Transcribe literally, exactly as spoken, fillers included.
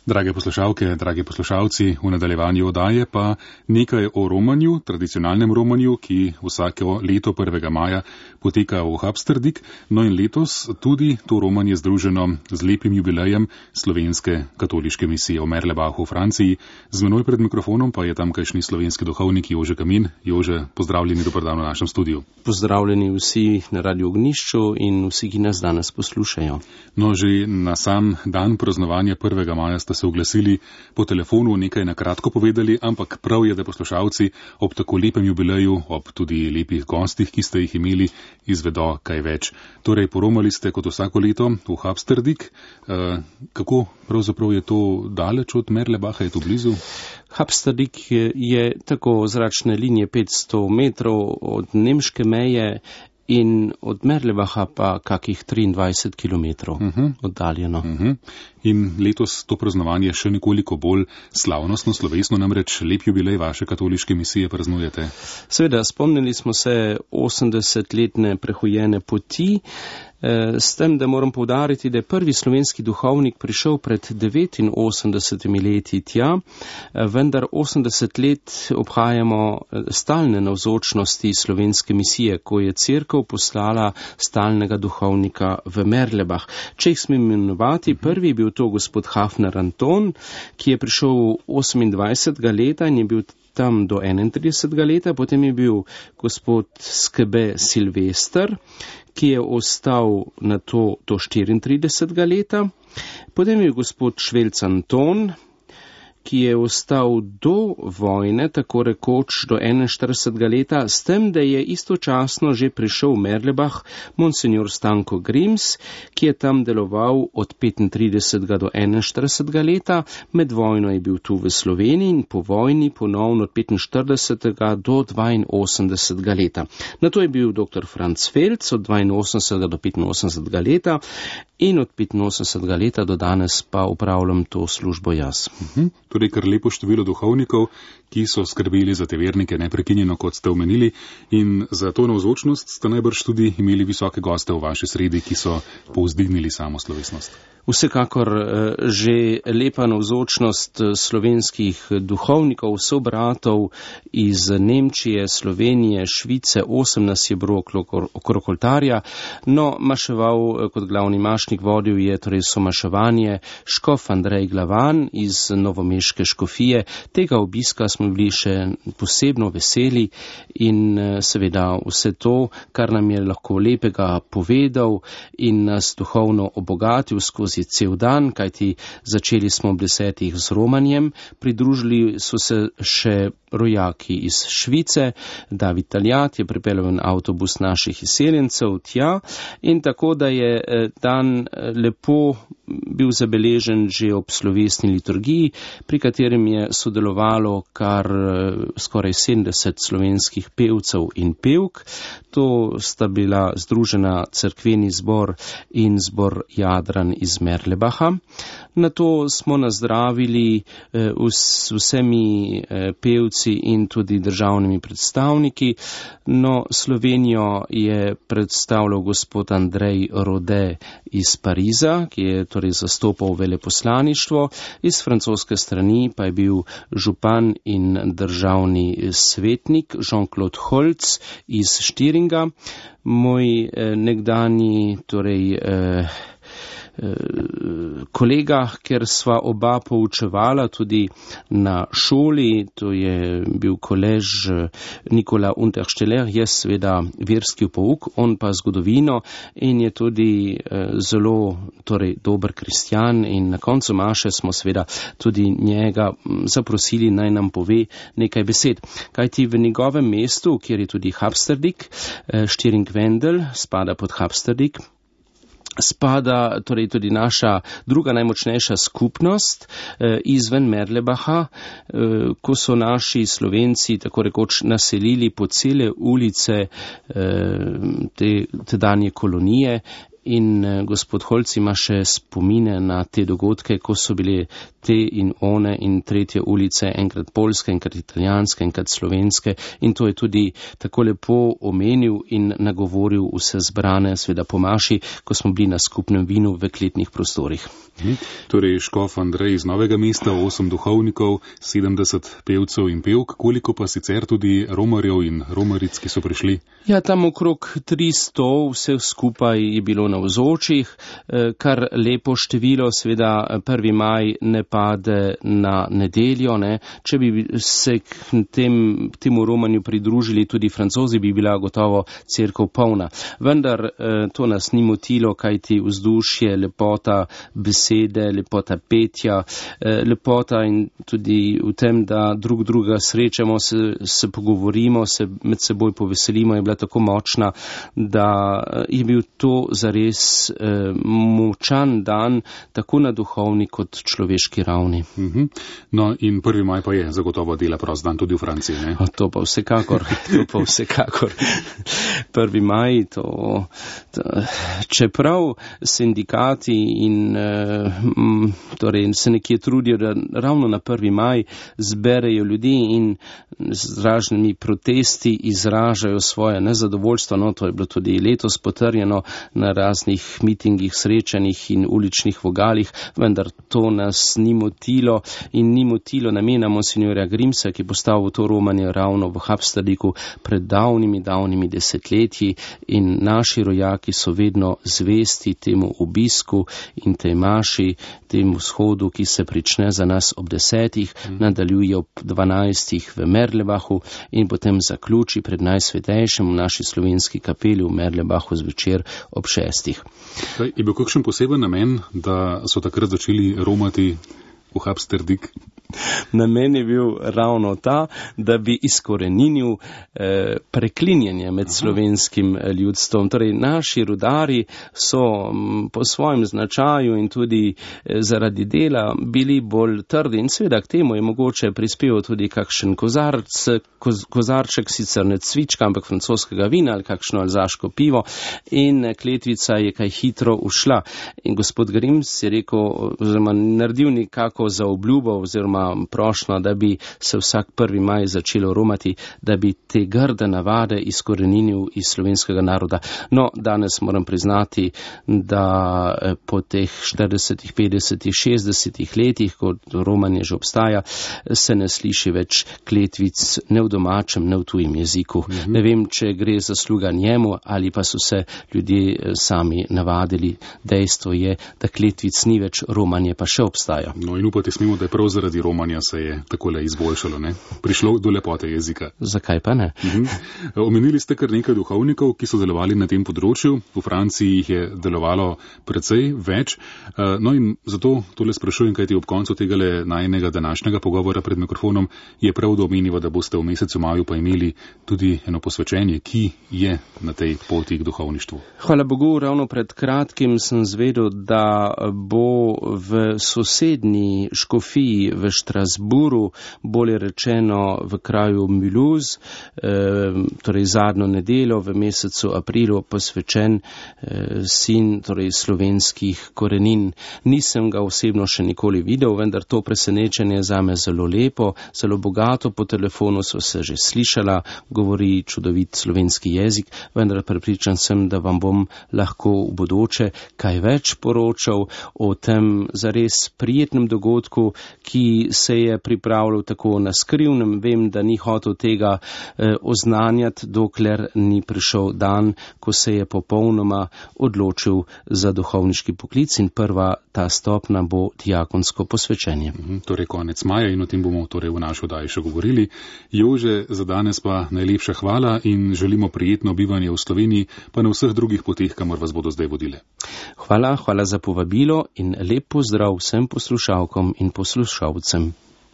Drage poslušalke, dragi poslušalci, v nadaljevanju oddaje pa nekaj o romanju, tradicionalnem romanju, ki vsako leto prvega maja poteka v Habsterdik. No in letos tudi to romanje združeno z lepim jubilejem slovenske katoliške misije v Merlebachu v Franciji. Z menoj pred mikrofonom pa je tamkajšnji slovenski duhovnik Jože Kamin. Jože, pozdravljeni, dober dan v našem studiu. Pozdravljeni vsi na Radio Ognišču in vsi, ki nas danes poslušajo. No, že na sam dan praznovanja prvega maja ste se oglasili po telefonu, nekaj na kratko povedali, ampak prav je, da poslušalci ob tako lepem jubileju, ob tudi lepih gostih, ki ste jih imeli, izvedo kaj več. Torej, poromali ste kot vsako leto v Habsterdik. E, kako pravzaprav je to daleč od Merlebacha, je to blizu? Habsterdik je, je tako zračne linije petsto metrov od nemške meje in od Merlebacha pa kakih triindvajset kilometrov uh-huh. oddaljeno. Uh-huh. In letos to praznovanje še nekoliko bolj slavnostno, slovesno, namreč lep jubilej vaše katoliške misije praznujete. Seveda, spomnili smo se osemdesetletne prehojene poti, s tem, da moram poudariti, da je prvi slovenski duhovnik prišel pred devetinosemdesetimi leti tja, vendar osemdeset let obhajamo stalne navzočnosti slovenske misije, ko je cerkev poslala stalnega duhovnika v Merlebach. Če jih smem imenovati, prvi je bil to gospod Hafner Anton, ki je prišel osemindvajsetega leta in je bil tam do enaintridesetega leta, potem je bil gospod Skebe Silvester, ki je ostal na to do štiriintridesetega leta, potem je gospod Švelc Anton, ki je ostal do vojne, tako rekoč do enainštiridesetega leta, s tem, da je istočasno že prišel v Merlebach monsignor Stanko Grims, ki je tam deloval od petintridesetega do enainštiridesetega leta, med vojno je bil tu v Sloveniji in po vojni ponovno od petinštiridesetega do dvainosemdesetega leta. Nato je bil doktor Franc Felc od dvainosemdesetega do petinosemdesetega leta in od petinosemdesetega leta do danes pa upravljam to službo jaz. Mhm. Torej, kar lepo število duhovnikov, ki so skrbeli za te vernike neprekinjeno, kot ste omenili, in za to navzočnost ste najbrž tudi imeli visoke goste v vaši sredi, ki so povzdignili samo slovesnost. Vsekakor že lepa navzočnost slovenskih duhovnikov, sobratov iz Nemčije, Slovenije, Švice, osem nas je bilo okrog oltarja, no, maševal kot glavni mašnik vodil je torej somaševanje škof Andrej Glavan iz novomeške škofije. Tega obiska smo bili še posebno veseli in seveda vse to, kar nam je lahko lepega povedal in nas duhovno obogatil skozi cel dan, kajti začeli smo ob desetih z romanjem, pridružili so se še rojaki iz Švice, David Taljat je pripeljal en avtobus naših izseljencev tja in tako, da je dan lepo bil zabeležen že ob slovesni liturgiji, pri katerem je sodelovalo kar skoraj sedemdeset slovenskih pevcev in pevk. To sta bila združena cerkveni zbor in zbor Jadran iz Merlebacha. Nato smo nazdravili s vsemi pevci in tudi državnimi predstavniki. No, Slovenijo je predstavljal gospod Andrej Rode iz Pariza, ki je torej zastopal veleposlaništvo. Iz francoske strani pa je bil župan in državni svetnik Jean-Claude Holc iz Štiringa. Moj eh, nekdani torej eh, kolega, ker sva oba poučevala tudi na šoli, to je bil kolež Nikola Untersteller, jaz seveda verski pouk, on pa zgodovino in je tudi zelo torej, dober kristjan in na koncu maše smo seveda tudi njega zaprosili, naj nam pove nekaj besed. Kajti v njegovem mestu, kjer je tudi Habsterdik, Štiring-Wendel spada pod Habsterdik, spada torej tudi naša druga najmočnejša skupnost eh, izven Merlebacha, eh, ko so naši Slovenci tako rekoč naselili po cele ulice eh, te tedanje kolonije in gospod Holc ima še spomine na te dogodke, ko so bile te in one in tretje ulice, enkrat polske, enkrat italijanske, enkrat slovenske, in to je tudi tako lepo omenil in nagovoril vse zbrane, seveda po maši, ko smo bili na skupnem vinu v kletnih prostorih. Hmm. Torej, škof Andrej iz Novega mesta, osem duhovnikov, sedemdeset pevcev in pevk, koliko pa sicer tudi romarjev in romaric, ki so prišli? Ja, tam okrog tristo vseh skupaj je bilo navzočih, kar lepo število, seveda prvi maj ne pade na nedeljo, ne. Če bi se k tem, temu romanju pridružili tudi Francozi, bi bila gotovo cerkev polna. Vendar to nas ni motilo, kajti vzdušje, lepota besede, lepota petja, lepota in tudi v tem, da drug druga srečamo, se, se pogovorimo, se med seboj poveselimo, je bila tako močna, da je bil to zares eh, močan dan, tako na duhovni kot človeški ravni. Uh-huh. No in prvi maj pa je zagotovo dela prost dan tudi v Franciji, ne? A, to pa vsekakor, to pa vsekakor. prvi maj, to, to, čeprav sindikati in eh, m, torej se nekje trudijo, da ravno na prvi maj zberejo ljudi in z raznimi protesti izražajo svoje nezadovoljstvo, no to je bilo tudi letos potrjeno na raznih mitingih, srečanjih in uličnih vogalih, vendar to nas ni motilo in ni motilo namena monsinjorja Grimsa, ki postavil to romanje ravno v Habsterdiku pred davnimi, davnimi desetletji, in naši rojaki so vedno zvesti temu obisku in tej maši, temu shodu, ki se prične za nas ob desetih, mm. nadaljuje ob dvanajstih v Merlebachu in potem zaključi pred najsvetejšim v naši slovenski kapeli v Merlebachu zvečer ob šestih. Kaj, je bil kakšen poseben namen, da so takrat začeli romati v Habsterdik? Namen je bil ravno ta, da bi izkoreninil eh, preklinjanje med slovenskim ljudstvom. Torej, naši rudari so m, po svojem značaju in tudi eh, zaradi dela bili bolj trdi in seveda k temu je mogoče prispeval tudi kakšen kozarc, koz, kozarček, sicer ne cvička, ampak francoskega vina ali kakšno alzaško pivo, in kletvica je kaj hitro ušla. In gospod Grims je rekel, oziroma naredil nekako za obljubo oziroma prošnjo, da bi se vsak prvi maj začelo romati, da bi te grde navade izkoreninil iz slovenskega naroda. No, danes moram priznati, da po teh štiridesetih, petdesetih, šestdesetih letih, ko romanje že obstaja, se ne sliši več kletvic ne v domačem, ne v tujem jeziku. Mm-hmm. Ne vem, če gre zasluga njemu ali pa so se ljudje sami navadili. Dejstvo je, da kletvic ni več, romanje pa še obstaja. No in upati smemo, da je prav zaradi romanja se je takole izboljšalo, ne? Prišlo do lepote jezika. Zakaj pa ne? Mhm. Omenili ste kar nekaj duhovnikov, ki so delovali na tem področju. V Franciji jih je delovalo precej več. No in zato tole sprašujem, kajti ob koncu tegale najinega današnjega pogovora pred mikrofonom je prav, da omeniva, da boste v mesecu maju pa imeli tudi eno posvečenje, ki je na tej poti k duhovništvu. Hvala Bogu, ravno pred kratkim sem zvedel, da bo v sosednji škofiji v Štrasburu, bolje rečeno v kraju Mulhouse, eh, torej zadnjo nedeljo v mesecu aprilu posvečen eh, sin torej slovenskih korenin. Nisem ga osebno še nikoli videl, vendar to presenečenje zame zelo lepo, zelo bogato. Po telefonu so se že slišala, govori čudovit slovenski jezik, vendar prepričan sem, da vam bom lahko v bodoče kaj več poročal o tem zares prijetnem dogodku, ki se je pripravljal tako na skrivnem. Vem, da ni hotel tega eh, oznanjati, dokler ni prišel dan, ko se je popolnoma odločil za duhovniški poklic, in prva ta stopna bo diakonsko posvečenje. Mhm, torej konec maja, in o tem bomo torej v naši oddaji še govorili. Jože, za danes pa najlepša hvala in želimo prijetno bivanje v Sloveniji, pa na vseh drugih poteh, kamor vas bodo zdaj vodile. Hvala, hvala za povabilo in lep pozdrav vsem poslušalkom in poslušalcem.